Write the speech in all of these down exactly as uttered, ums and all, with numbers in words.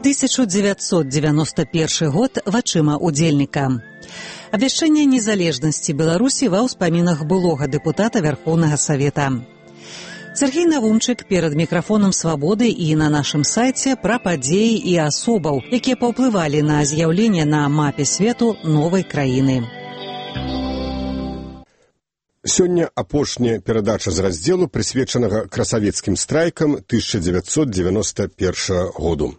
тысяча девятьсот девяносто первый год вачыма удзельніка. Абвяшчэнне незалежнасці Беларусі ва ўспамінах былога дэпутата Вярхоўнага Савета. Сергей Навумчык перад мікрафонам «Свабоды» і на нашым сайце пра падзеі і асобаў, якія паўплывалі на з'яўленне на мапе свету новай краіны. Сёння апошняя перадача з раздзелу, прысвечанага красавецкім страйкам тысяча девятьсот девяносто первого году.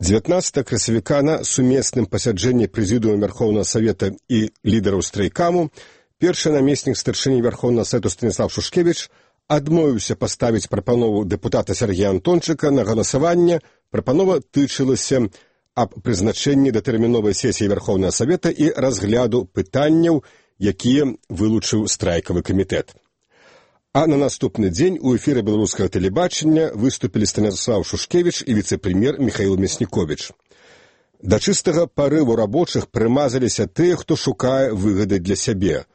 дзевятнаццатага красавіка на сумесным пасяджэнні прэзідыума Вярхоўнага Савета і лідараў страйкаму першы намеснік старшыні Вярхоўнага Савету Станіслав Шушкевіч адмовіўся паставіць прапанову дэпутата Сергея Антончыка на галасаванне. Прапанова тычылася аб прызначэнні датэрміновай сесіі Вярхоўнага Савета і разгляду пытанняў, якія вылучыў страйкавы камітэт. А на наступны дзень у эфіры беларускага тэлебачання выступілі Станіслав Шушкевіч і віцэ-прэм'ер Міхаіл Мясніковіч. Да чыстага парыву рабочых прымазаліся тыя, хто шукае выгады для сябе.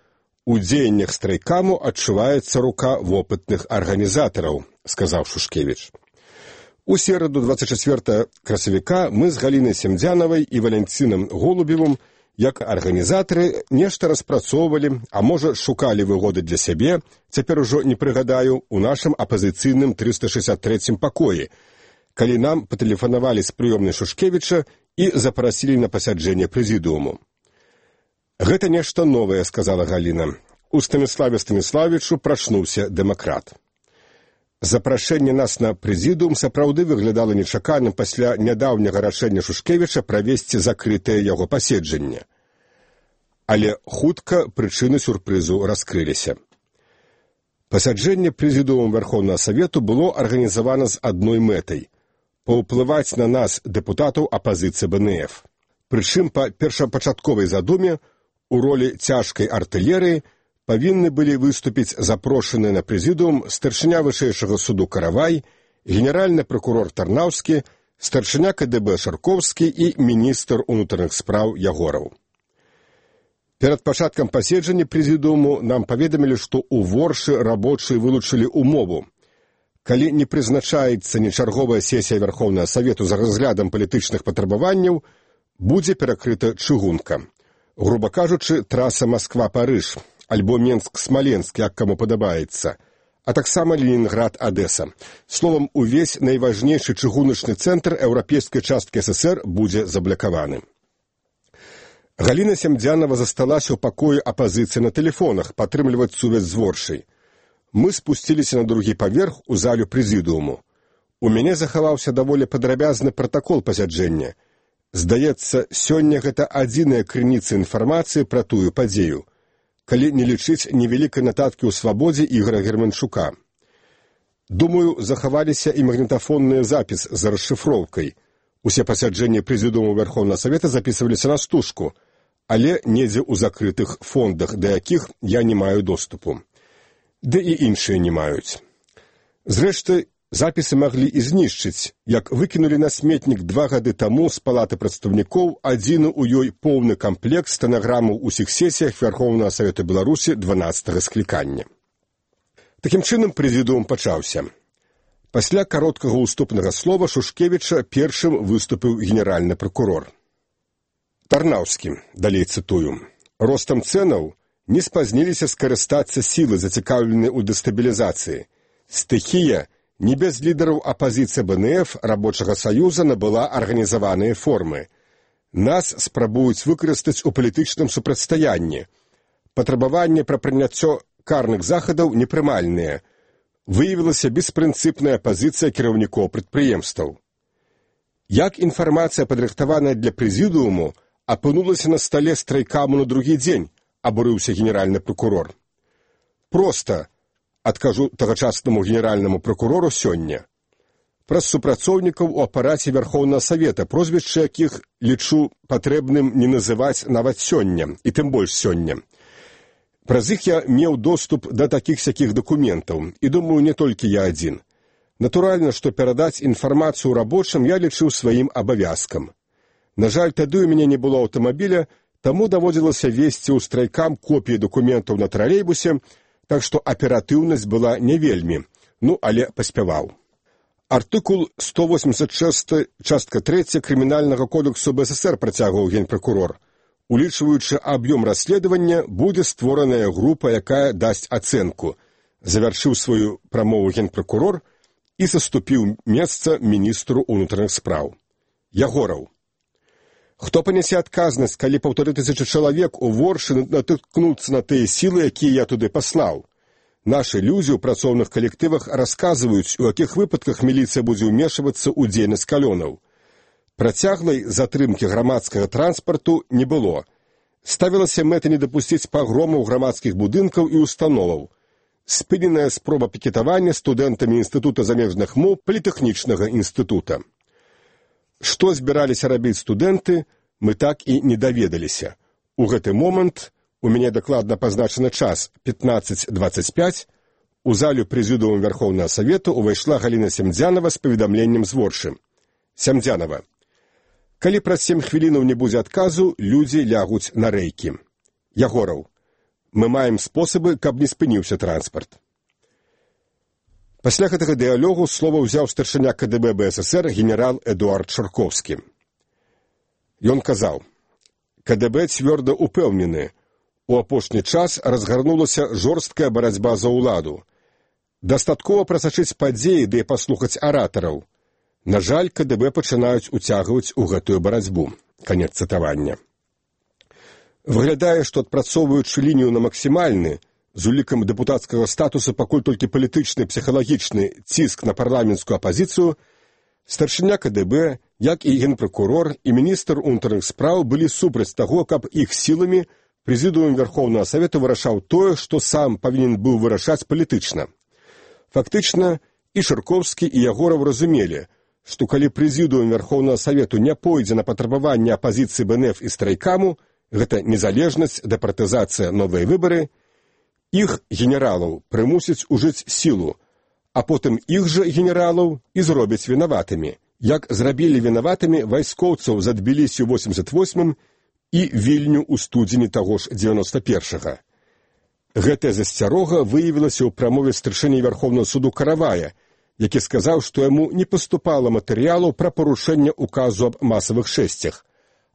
У дзеяннях страйкаму адчуваецца рука вопытных арганізатараў, сказаў Шушкевіч. У сераду двадцать четвёртого красавіка мы з Галінай Семдзянавай і Валянцінам Голубевым як арганізатары нешта распрацоўвалі, а можа шукалі выгоды для сябе, цяпер ужо не прыгадаю, у нашым апазіцыйным трыста шэсцьдзесят трэцім пакоі, калі нам патэлефанавалі з прыёмнай Шушкевіча і запрасілі на пасяджэнне прэзідыуму. Гэта нешта новае, сказала Галіна. У Станіславе Станіславічу прачнуўся дэмакрат. Запрашэнне нас на прэзідыум сапраўды выглядала нечаканым пасля нядаўняга рашэння Шушкевіча правесці закрытае яго паседжанне. Але хутка прычыны сюрпрызу раскрыліся. Пасяджэнне прэзідыуму Вярхоўнага Савету было арганізавана з адной мэтай – паўплываць на нас, дэпутатаў апазіцыі бэ эн эф. Прычым па першапачатковай задуме у ролі цяжкай артылерыі павінны былі выступіць запрошаныя на прэзідыум старшыня вышэйшага суду Каравай, генеральны пракурор Тарнаўскі, старшыня ка дэ бэ Шаркоўскі і міністр унутраных спраў Ягораў. Перад пачаткам паседжання прэзідыуму нам паведамілі, што ў Воршы рабочыя вылучылі умову. Калі не прызначаецца нечарговая сесія Вярхоўнага Савету за разглядам палітычных патрабаванняў, будзе перакрыта чыгунка. Груба кажучы, траса Масква-Парыж, альбо Менск-Смаленск, як каму падабаецца, а таксама Ленінград-Адэса. Словам, увесь найважнейшы чыгуначны цэнтр еўрапейскай часткі эс эс эр будзе заблакаваны. Галіна Семдзянава засталася ў пакоі апазіцыі на тэлефонах, падтрымліваць сувязь з Воршай. Мы спусціліся на другі паверх у залю прэзідыуму. У мяне захаваўся даволі падрабязны пратакол пасяджэння. Здаецца, сёння гэта адзіная крыніца інфармацыі пра тую падзею, калі не лічыць невялікай нататкі ў «Свабодзе» Ігора Германчука. Думаю, захаваліся і магнітафонны запіс з расшыфроўкай. Усе пасяджэнні прэзідыуму Вярхоўнага Савета запісваліся на стужку, але недзе ў закрытых фондах, да якіх я не маю доступу. Ды і іншыя не маюць. Зрэшты, запісы маглі і знішчыць, як выкінулі на сметнік два гады таму з палаты прадстаўнікоў адзіны ў ёй поўны камплект стэнаграмаў усіх сесіях Вярхоўнага Савета Беларусі дванаццатага склікання. Такім чынам прэзідыум пачаўся. Пасля кароткага ўступнага слова Шушкевіча першым выступіў генеральны пракурор. Тарнаўскі, далей цытую, ростам цэнаў не спазніліся скарыстацца сілы, зацікаўленыя ў дэстабілізацыі. Стыхія не без лідараў апазіцыі бэ эн эф рабочага саюза набыла арганізаваныя формы. Нас спрабуюць выкарыстаць у палітычным супрацьстаянні. Патрабаванні пра прыняццё карных захадаў непрымальныя. Выявілася беспрынцыпная пазіцыя кіраўнікоў прадпрыемстваў. Як інфармацыя, падрыхтаваная для прэзідыуму, апынулася на стале страйкаму на другі дзень, абурыўся генеральны пракурор. Проста, адкажу тагачаснаму генеральнаму пракурору сёння. Праз супрацоўнікаў у апараце Вярхоўнага Савета, прозвішча якіх лічу патрэбным не называць нават сёння, і тым больш сёння. Праз іх я меў доступ да такіх-сякіх дакументаў, і думаю, не толькі я адзін. Натуральна, што перадаць інфармацыю рабочым я лічыў сваім абавязкам. На жаль, тады ў мяне не было аўтамабіля, таму даводзілася весці ў страйкам копіі дакументаў на тралейбусе, так што аператыўнасць была не вельмі, ну, але паспяваў. Артыкул сто восемьдесят шесть, частка третья Крымінальнага кодексу БССР, працягваў генпракурор. Улічваючы аб'ём расследавання, будзе створаная група, якая дасць ацэнку. Завяршыў сваю прамову генпракурор і саступіў месца міністру ўнутраных спраў. Ягораў. Хто панясе адказнасць, калі паўтары тысячы чалавек у Воршы натыкнуцца на тыя сілы, якія я туды паслаў? Нашы людзі ў працоўных калектывах расказваюць, у якіх выпадках міліцыя будзе ўмешвацца ў дзейнасць калонаў. Працяглай затрымкі грамадскага транспарту не было. Ставілася мэта не дапусціць пагромаў грамадскіх будынкаў і установаў. Спыненая спроба пікетавання студэнтамі Інстытута замежных моў Політэхнічнага інстытута. Што збіраліся рабіць студэнты, мы так і не даведаліся. У гэты момант, у мяне дакладна пазначаны час пятнадцать двадцать пять, у залю прэзідыума Вярхоўнага Савету увайшла Галіна Сямдзянава з паведамленнем з Воршы. Сямдзянава. Калі праз сем хвілінаў не будзе адказу, людзі лягуць на рэйкі. Ягораў. Мы маем спосабы, каб не спыніўся транспарт. Пасля гэтага дыялогу слова ўзяў старшыня КДБ БССР генерал Эдуард Шарковскі. Ён казаў: КДБ цвёрда упэўнены, у апошні час разгарнулася жорсткая барацьба за ўладу. Дастаткова прасачыць падзеі, ды паслухаць аратараў. На жаль, КДБ пачынаюць уцягваць у гэтую барацьбу. Канец цытавання. Выглядае, што адпрацоўваючы лінію на максімальны, з улікам дэпутацкага статусу пакуль толькі палітычны, псіхалагічны ціск на парламенцкую апазіцыю, старшыня КДБ, як і генпракурор і міністр унутраных спраў былі супраць таго, каб іх сіламі прэзідыум Вярхоўнага Савету вырашаў тое, што сам павінен быў вырашаць палітычна. Фактычна, і Шарковскі, і Ягораў разумелі, што калі прэзідыум Вярхоўнага Савету не пойдзе на патрабаванне апазіцыі БНФ і страйкаму, гэта незалежнасць, дэпартызацыя, новыя выбары, іх генералаў прымусяць ужыць сілу, а потым іх жа генералаў і зробяць вінаватымі, як зрабілі вінаватымі вайскоўцаў за Тбілісі ў восемьдесят восьмым і Вільню ў студзені таго ж дзевяноста першага. Гэтая засцярога выявілася ў прамове старшыні Вярхоўнага суду Каравая, які сказаў, што яму не паступала матэрыялу пра парушэнне указу аб масавых шэсцях,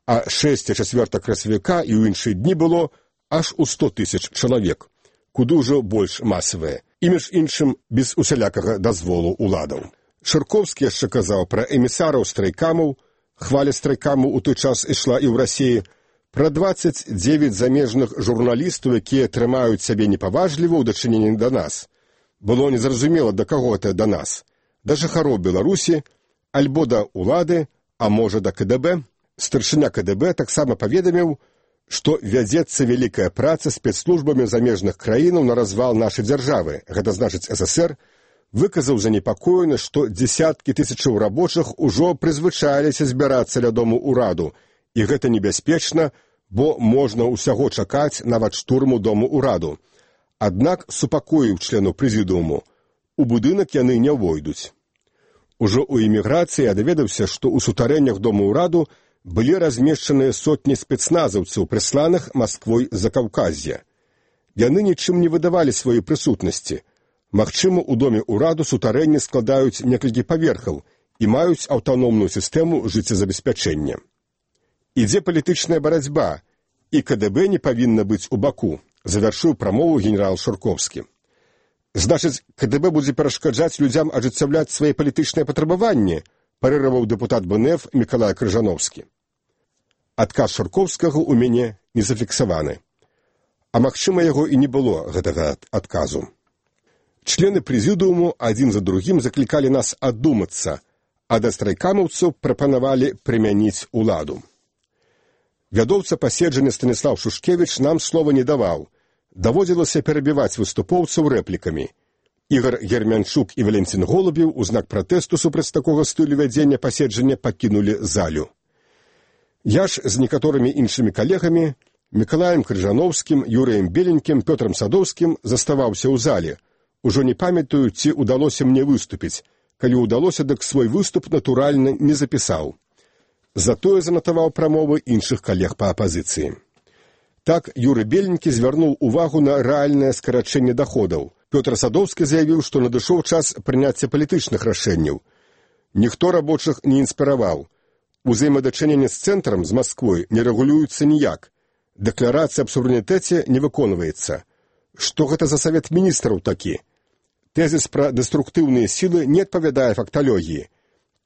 а шэсця чацвёртага красавіка і ў іншыя дні было аж у сто тысяч чалавек, куды ўжо больш масавыя, і між іншым без усялякага дазволу ўладаў. Шарковскі яшчэ казаў пра эмісараў страйкамаў, хваля страйкамаў у той час ішла і ў Расіі, пра дваццаць дзевяць замежных журналістаў, якія трымаюць сябе непаважліва ў дачыненні да нас. Было незразумела, да каго гэта да нас. Да жыхароў Беларусі, альбо да ўлады, а можа да КДБ. Старшыня КДБ таксама паведаміў, што вядзецца вялікая праца спецслужбамі замежных краінаў на развал нашай дзяржавы, гэта значыць ССР, выказаў занепакоенасць, што дзесяткі тысячаў рабочых ужо прызвычаіліся збірацца ля дому ўраду, і гэта небяспечна, бо можна ўсяго чакаць нават штурму дому ўраду. Аднак, супакоіў членаў прэзідыуму, у будынак яны не ўвойдуць. Ужо ў эміграцыі я даведаўся, што ў сутарэннях дому ўраду былі размешчаныя сотні спецназаўцаў, прысланых Масквой з Закаўказья. Яны нічым не выдавалі сваёй прысутнасці. Магчыма, у доме ўраду сутарэнні складаюць некалькі паверхаў і маюць аўтаномную сістэму жыццезабеспячэння. Ідзе палітычная барацьба, і КДБ не павінна быць у баку, завяршыў прамову генерал Шарковскі. Значыць, КДБ будзе перашкаджаць людзям ажыццяўляць свае палітычныя патрабаванні, парыраваў дэпутат БНФ Мікалай Крыжановскі. Адказ Шарковскага ў мяне не зафіксаваны. А магчыма, яго і не было, гэтага адказу. Члены прэзідыуму адзін за другім заклікалі нас аддумацца, а да страйкамаўцаў прапанавалі прымяніць уладу. Вядоўца паседжання Станіслаў Шушкевіч нам слова не даваў. Даводзілася перабіваць выступоўцаў рэплікамі. Ігор Гермянчук і Валентин Голубеў у знак пратэсту супраць такога стылю вядзення паседжання пакінулі залю. Я ж з некаторымі іншымі калегамі, Мікалаем Крыжановскім, Юрыем Беленькім, Пётрам Садоўскім заставаўся ў зале. Ужо не памятаю, ці ўдалося мне выступіць. Калі ўдалося, дык свой выступ натуральна не запісаў. Затое занатаваў прамовы іншых калег па апазіцыі. Так, Юры Беленькі звярнуў увагу на рэальнае скарачэнне даходаў. Пётр Садоўскі заявіў, што надышоў час прыняцця палітычных рашэнняў. Ніхто рабочых не інспіраваў. Узаемадачыненне з цэнтрам, з Масквой, не рэгулюецца ніяк. Дэкларацыя аб суверэнітэце не выконваецца. Што гэта за савет міністраў такі? Тэзіс пра дэструктыўныя сілы не адпавядае факталогіі.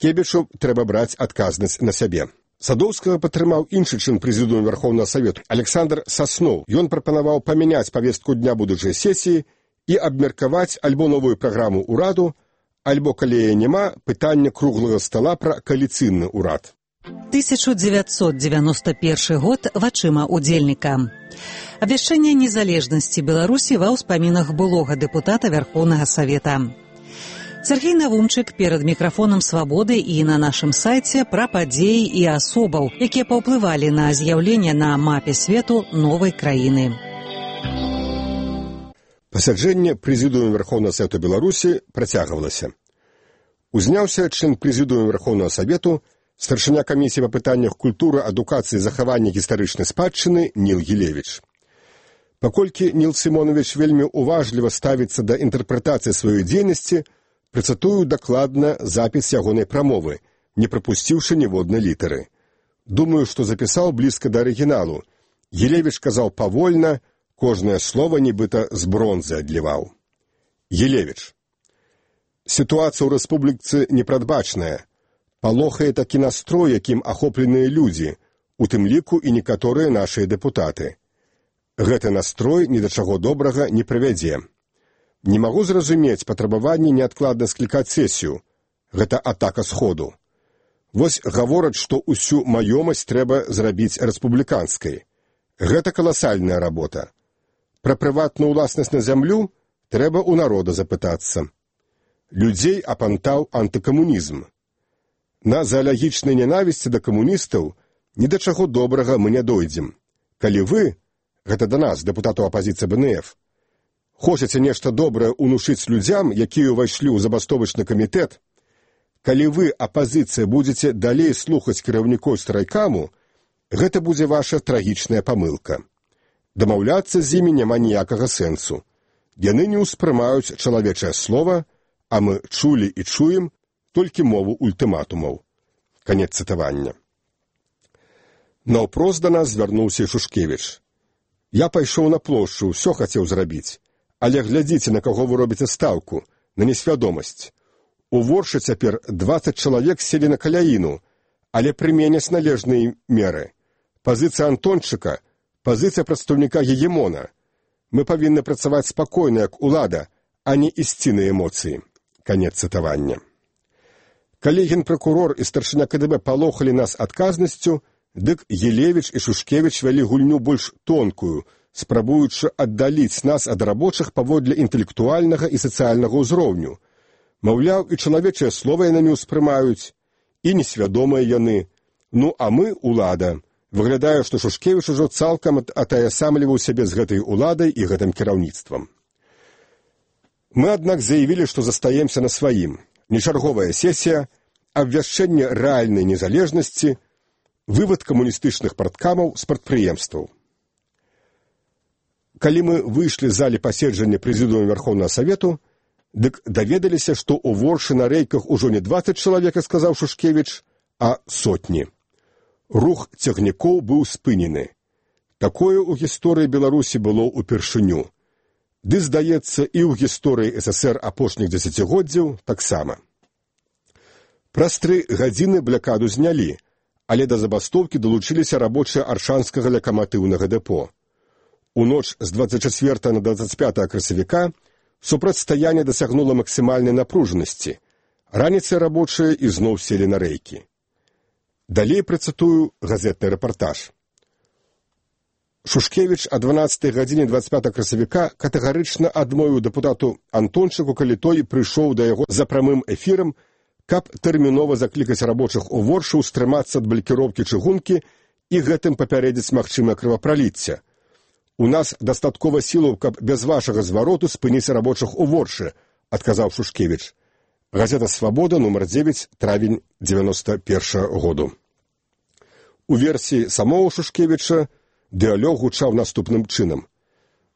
Кебічу трэба браць адказнасць на сябе. Садоўскага падтрымаў іншы член прэзідыума Верховнага Савету Александр Сасноў. Ён прапанаваў памяняць павестку дня будучай сесіі і абмеркаваць альбо новую праграму ўраду, альбо, калі яе няма, пытанне круглага стала пра кааліцыйны ўрад. тысяча девятьсот девяносто первый год вачыма удзельніка. Абвяшчэнне незалежнасці Беларусі ва ўспамінах былога дэпутата Верховнага Савета. Сергей Навумчык перад мікрафонам «Свабоды» і на нашым сайце пра падзеі і асобаў, якія паўплывалі на з'яўленне на мапе свету новай краіны. Пасяджэнне прэзідыума Верховнага Савета Беларусі працягвалася. Узняўся член прэзідыума Верховнага Савету, старшыня камісіі па пытаннях культуры, адукацыі і захавання гістарычнай спадчыны Ніл Гілевіч. Паколькі Ніл Сімонович вельмі уважліва ставіцца да інтэрпрэтацыі сваёй дзейнасці, працатую дакладна запіс ягонай прамовы, не прапусціўшы ніводнай літары. Думаю, што запісаў блізка да арыгіналу. Гілевіч казаў павольна, кожнае слова нібыта з бронзы адліваў. Гілевіч. Сітуацыя ў рэспубліцы непрадбачная. Палохае такі настрой, якім ахопленыя людзі, у тым ліку і некаторыя нашыя дэпутаты. Гэты настрой ні да чаго добрага не прывядзе. Не магу зразумець патрабаванне неадкладна склікаць сесію. Гэта атака сходу. Вось гавораць, што ўсю маёмасць трэба зрабіць рэспубліканскай. Гэта каласальная работа. Пра прыватную ўласнасць на зямлю трэба ў народа запытацца. Людзей апантаў антыкамунізм. На заалагічнай ненавісці да камуністаў ні да чаго добрага мы не дойдзем. Калі вы, гэта да нас, дэпутату апазіцыі Бэ Эн Эф, хочаце нешта добрае ўнушыць людзям, якія ўвайшлі ў забастовачны камітэт, калі вы, апазіцыя, будзеце далей слухаць кіраўнікоў страйкаму, гэта будзе ваша трагічная памылка. Дамаўляцца з імі няма ніякага сэнсу. Яны не ўспрымаюць чалавечае слова, а мы чулі і чуем толькі мову ультыматумаў. Канец цытавання. Наўпрост да нас звярнуўся Шушкевіч. Я пайшоў на плошчу, ўсё хацеў зрабіць. Але глядзіце, на каго вы робіце стаўку, на несвядомасць. У Воршы цяпер дваццаць чалавек селі на каляіну, але прыменяць належныя меры. Пазіцыя Антончыка, пазіцыя прадстаўніка гегемона. Мы павінны працаваць спакойна, як улада, а не ісці на эмоцыі. Канец цытавання. Калі генпракурор і старшыня Ка Дэ Бэ палохалі нас адказнасцю, дык Гілевіч і Шушкевіч вялі гульню больш тонкую, спрабуючы аддаліць нас ад рабочых паводле інтэлектуальнага і сацыяльнага ўзроўню. Маўляў, і чалавечае слова яны не ўспрымаюць, і несвядомыя яны. Ну, а мы, улада. Выглядае, што Шушкевіч ужо цалкам атаясамліваў сябе з гэтай уладай і гэтым кіраўніцтвам. Мы, аднак, заявілі, што застаемся на сваім. Нечарговая сесія, абвяшчэнне рэальнай незалежнасці, вывад камуністычных парткамаў з прадпрыемстваў. Калі мы выйшлі з залі паседжання прэзідыума Верховнага Савету, дык даведаліся, што ў Воршы на рэйках ужо не дваццаць чалавек, сказаў Шушкевіч, а сотні. Рух цягнікоў быў спынены. Такое ў гісторыі Беларусі было ўпершыню. Ды, здаецца, і ў гісторыі Эс Эс Эр апошніх дзесяцігоддзяў таксама. Праз тры гадзіны блякаду знялі, але да забастоўкі далучыліся рабочыя аршанскага лакаматыўнага дэпо. У ноч з дваццаць чацвёртага на дваццаць пятае красавіка супрацьстаянне дасягнула максімальнай напружанасці. Раніцай рабочыя ізноў селі на рэйкі. Далей працытую газетны рэпартаж. Шушкевіч о дванаццатай гадзіне дваццаць пятага красавіка катэгарычна адмовіў дэпутату Антончыку, калі той прыйшоў да яго за прамым эфірам, каб тэрмінова заклікаць рабочых у Воршы ўстрымацца ад блакіроўкі чыгункі і гэтым папярэдзіць магчымае крывапраліцце. У нас дастаткова сілаў, каб без вашага звароту спыніць рабочых у Воршы, адказаў Шушкевіч. Газета «Свабода», нумар дзевяць, травень дзевяноста першага году. У версіі самого Шушкевіча дыалог гучаў наступным чынам.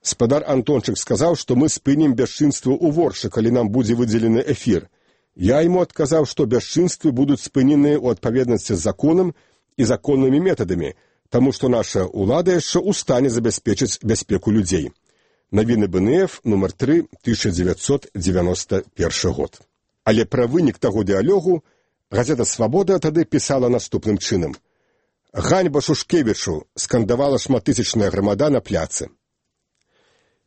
Спадар Антончык сказаў, што мы спынім бясчынства ў Воршы, калі нам будзе выдзелены эфір. Я ему адказаў, што бясчынствы будуць спыненыя ў адпаведнасці з законам і законнымі метадамі, таму што наша ўлада яшчэ ў стане забяспечыць бяспеку людзей. Навіны БНФ, нумар тры, тысяча дзевяцьсот дзевяносто першы год. Але пра вынік таго дыялогу газета «Свабода» тады пісала наступным чынам. «Ганьба Шушкевічу!» скандавала шматтысячная грамада на пляцы.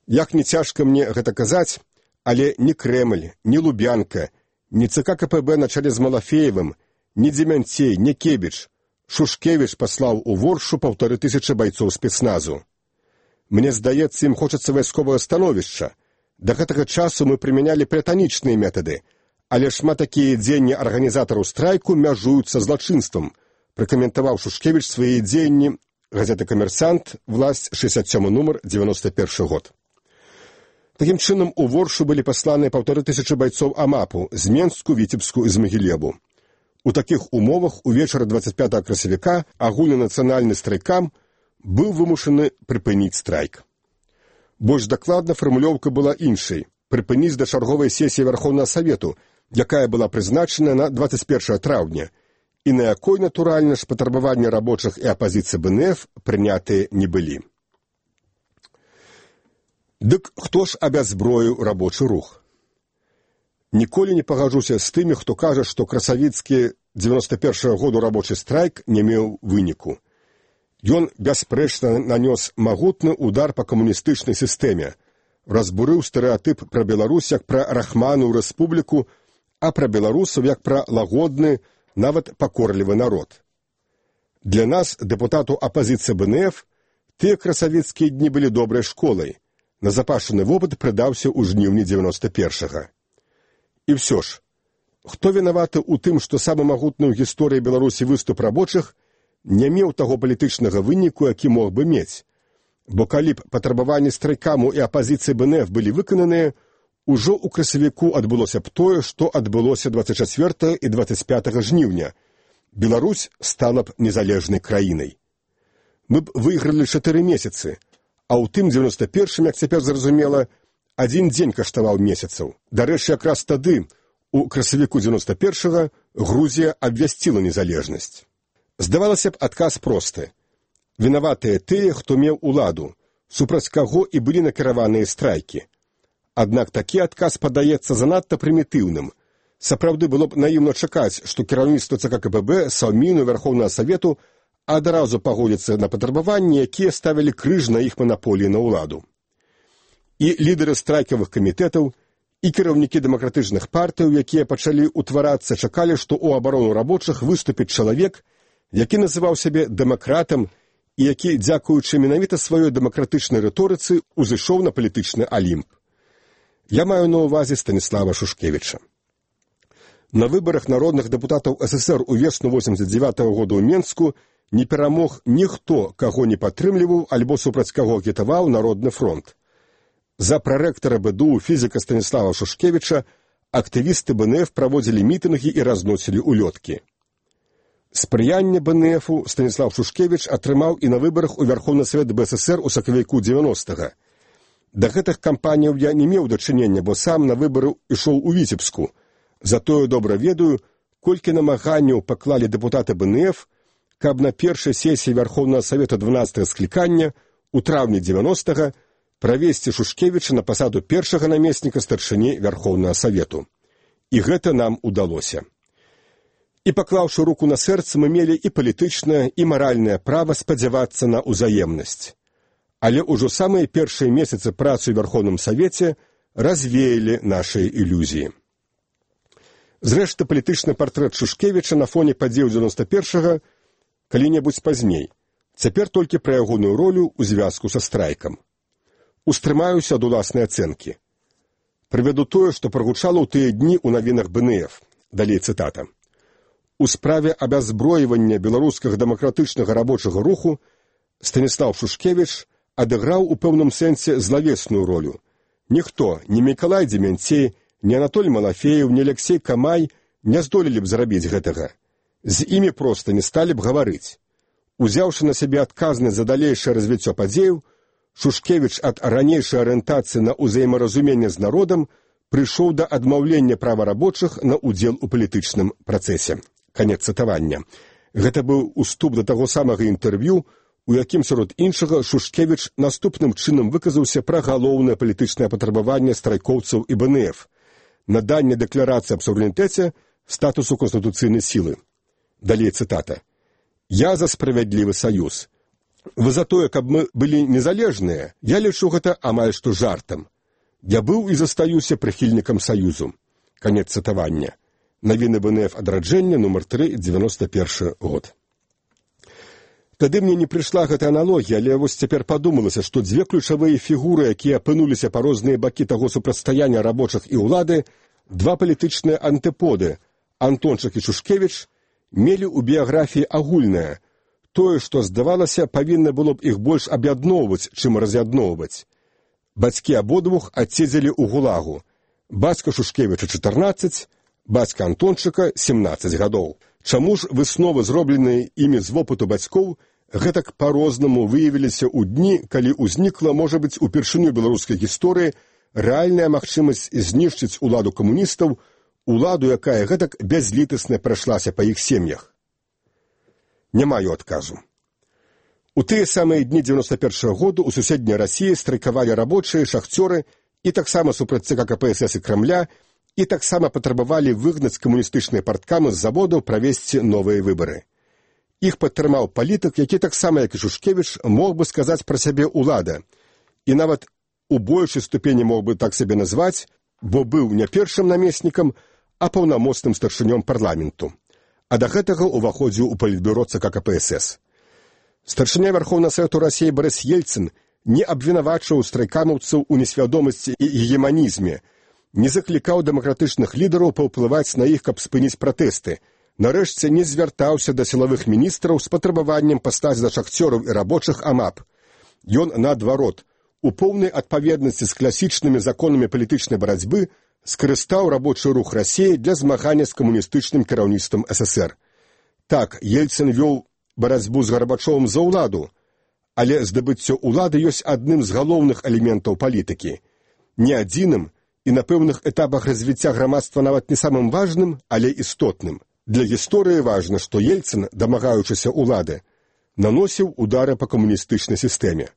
Як не цяжка мне гэта казаць, але ні Крэмль, ні Лубянка, ні ЦК КПБ на чале з Малафеевым, ні Дземянцей, ні Кебіч. Шушкевіч паслаў у Воршу паўтары тысячы байцоў спецназу. Мне здаецца, ім хочацца вайсковага становішча. Да гэтага часу мы прымянялі платанічныя метады, але шмат такія дзеянні арганізатараў страйку мяжуюцца злачынствам, пракаментаваў Шушкевіч свае дзеянні газета «Камерсант», власть, шэсцьдзесят сёмы нумар, дзевяносто першы год. Такім чынам, у Воршу былі пасланыя паўтары тысячы байцоў АМАПу з Менску, Віцебску і з Магілеву. У такіх умовах увечары дваццаць пятага красавіка агульнанацыянальны страйкам быў вымушаны прыпыніць страйк. Больш дакладна фармулёўка была іншай – прыпыніць да чарговай сесіі Вярхоўнага Савету, якая была прызначана на дваццаць першага траўня, і на якой, натуральна ж, патрабаванні рабочых і апазіцыі БНФ прынятыя не былі. Дык хто ж абязброіў рабочы рух? Ніколі не пагаджуся з тымі, хто кажа, што красавіцкі дзевяносто першага году рабочы страйк не меў выніку. Ён бясспрэчна нанёс магутны удар па камуністычнай сістэме, разбурыў стэрэатып пра Беларусь як пра рахманую рэспубліку, а пра беларусаў як пра лагодны, нават пакорлівы народ. Для нас, дэпутату апазіцыі БНФ, тыя красавіцкія дні былі добрай школай. Назапашаны вопыт прыдаўся ў жніўні дзевяносто першага. І ўсё ж, хто вінаваты ў тым, што самы магутны ў гісторыі Беларусі выступ рабочых не меў таго палітычнага выніку, які мог бы мець? Бо калі б патрабаванні страйкаму і апазіцыі БНФ былі выкананыя, ужо ў красавіку адбылося б тое, што адбылося дваццаць чацвёртага і дваццаць пятага жніўня. Беларусь стала б незалежнай краінай. Мы б выйгралі чатыры месяцы, а ў тым дзевяносто першым, як цяпер зразумела, адзін дзень каштаваў месяцаў. Дарэчы, якраз тады, у красавіку дзевяносто першага, Грузія абвясціла незалежнасць. Здавалася б, адказ просты. Вінаватыя тыя, хто меў уладу, супраць каго і былі накіраваныя страйкі. Аднак такі адказ падаецца занадта прымітыўным. Сапраўды было б наіўна чакаць, што кіраўніцтва ЦК КПБ, Саўміну, Вярхоўнага Савету адразу пагодзяцца на патрабаванні, якія ставілі крыж на іх манаполіі на ўладу. І лідары страйкавых камітэтаў, і кіраўнікі дэмакратычных партыяў, якія пачалі ўтварацца, чакалі, што ў абарону рабочых выступіць чалавек, які называў сябе дэмакратам і які, дзякуючы менавіта сваёй дэмакратычнай рыторыцы, узышоў на палітычны алімп. Я маю на ўвазе Станіслава Шушкевіча. На выбарах народных дэпутатаў СССР у весну восемьдесят девятого года ў Менску не перамог ніхто, каго не падтрымліваў альбо супраць каго агітаваў Народны фронт. За прарэктара БДУ фізіка Станіслава Шушкевіча актывісты БНФ праводзілі мітынгі і разносілі улёткі. Спрыянне БНФу Станіслав Шушкевіч атрымаў і на выбарах у Вярхоўны Савет БССР у сакавіку дзевяностага. Да гэтых кампаніяў я не меў дачынення, бо сам на выбары ішоў у Віцебску. Затое добра ведаю, колькі намаганняў паклалі дэпутаты БНФ, каб на першай сесіі Вярхоўнага Савета дванаццатага склікання у траўні дзевяностага правесці Шушкевіча на пасаду першага намесніка старшыні Вярхоўнага Савету. І гэта нам удалося. І паклаўшы руку на сэрца, мы мелі і палітычнае, і маральнае права спадзявацца на ўзаемнасць. Але ўжо самыя першыя месяцы працы ў Вярхоўным Савеце развеялі нашыя ілюзіі. Зрэшты, палітычны партрэт Шушкевіча на фоне падзеяў дзевяносто першага калі-небудзь пазней. Цяпер толькі пра ягоную ролю ў звязку са страйкам. Устрымаюся ад уласнай ацэнкі. Прывяду тое, што прагучала ў тыя дні ў навінах БНФ. Далей цытата. У справе абязброівання беларускага дэмакратычнага рабочага руху Станіслав Шушкевіч адыграў у пэўным сэнсе злавесную ролю. Ніхто, ні Мікалай Дземянцей, ні Анатоль Малафеев, ні Алексей Камай не здолелі б зрабіць гэтага. З імі проста не сталі б гаварыць. Узяўшы на сябе адказнасць за далейшае развіццё падзеяў, Шушкевіч ад ранейшай арыентацыі на ўзаемаразуменне з народам прыйшоў да адмаўлення права рабочых на ўдзел у палітычным працэсе. Канец цытавання. Гэта быў уступ да таго самага інтэрв'ю, у якім, сярод іншага, Шушкевіч наступным чынам выказаўся пра галоўнае палітычнае патрабаванне страйкоўцаў і бэ эн эф – наданне дэкларацыі аб суверэнітэце статусу канстытуцыйнай сілы. Далей цытата. «Я за справядлівы саюз. Вы за тое, каб мы былі незалежныя, я лічу гэта амаль што жартам. Я быў і застаюся прыхільнікам саюзу». Канец цытавання. Навіны бэ эн эф адраджэння, нумар тры, дзевяносто першы год. Тады мне не прыйшла гэта аналогія, але вось цяпер падумалася, што дзве ключавыя фігуры, якія апынуліся па розныя бакі таго супрацьстаяння рабочых і ўлады, два палітычныя антыподы, Антончык і Шушкевіч, мелі ў біяграфіі агульнае, тое, што, здавалася, павінна было б іх больш аб'ядноўваць, чым раз'ядноўваць. Бацькі абодвух адседзелі ў гулагу. Бацька Шушкевіча чатырнаццаць, бацька Антончыка семнаццаць гадоў. Чаму ж высновы, зробленыя імі з вопыту бацькоў, гэтак па-рознаму выявіліся ў дні, калі ўзнікла, можа быць, упершыню беларускай гісторыі рэальная магчымасць знішчыць уладу камуністаў, уладу, якая гэтак бязлітасна прайшлася па іх сем'ях? Не маю адказу. У тыя самыя дні дзевяносто першага году ў суседняй Расіі страйкавалі рабочыя, шахцёры і таксама супраць ЦК ка пэ эс эс і Крамля, і таксама патрабавалі выгнаць камуністычныя парткамы з заводаў, правесці новыя выбары. Іх падтрымаў палітык, які таксама, як і Шушкевіч, мог бы сказаць пра сябе ўлада, і нават у большай ступені мог бы так сябе назваць, бо быў не першым намеснікам, а паўнамоцным старшынём парламенту. А да гэтага ўваходзіў у палітбюро ЦК ка пэ эс эс. Старшыня Вярхоўнага Савету Расіі Барыс Ельцын не абвінавачваў страйкамаўцаў у несвядомасці і гегеманізме, не заклікаў дэмакратычных лідараў паўплываць на іх, каб спыніць пратэсты. Нарэшце не звяртаўся да сілавых міністраў з патрабаваннем пастаць да шахцёраў і рабочых АМАП. Ён, наадварот, у поўнай адпаведнасці з класічнымі законамі палітычнай барацьбы скарыстаў рабочы рух Расіі для змагання з камуністычным кіраўніцтвам эс эс ер. Так, Ельцын вёў барацьбу з Гарбачовым за ўладу, але здабыццё ўлады ёсць адным з галоўных элементаў палітыкі. Не адзіным, і на пэўных этапах развіцця грамадства нават не самым важным, але істотным. Для гісторыі важна, што Ельцын, дамагаючыся ўлады, наносіў удары па камуністычнай сістэме.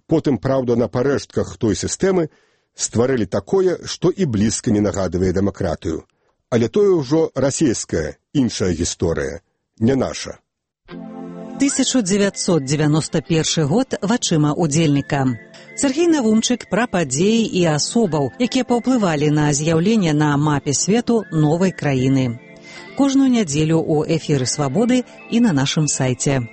Потым, праўда, на парэштках той сістэмы стварылі такое, што і блізка не нагадвае дэмакратыю. Але тое ўжо расійская, іншая гісторыя, не наша. тысяча девятьсот девяносто первый год вачыма удзельніка. Сергей Навумчык пра падзеі і асобаў, якія паўплывалі на з'яўленне на мапе свету новай краіны. Кожную нядзелю ў эфіры «Свабоды» і на нашым сайце.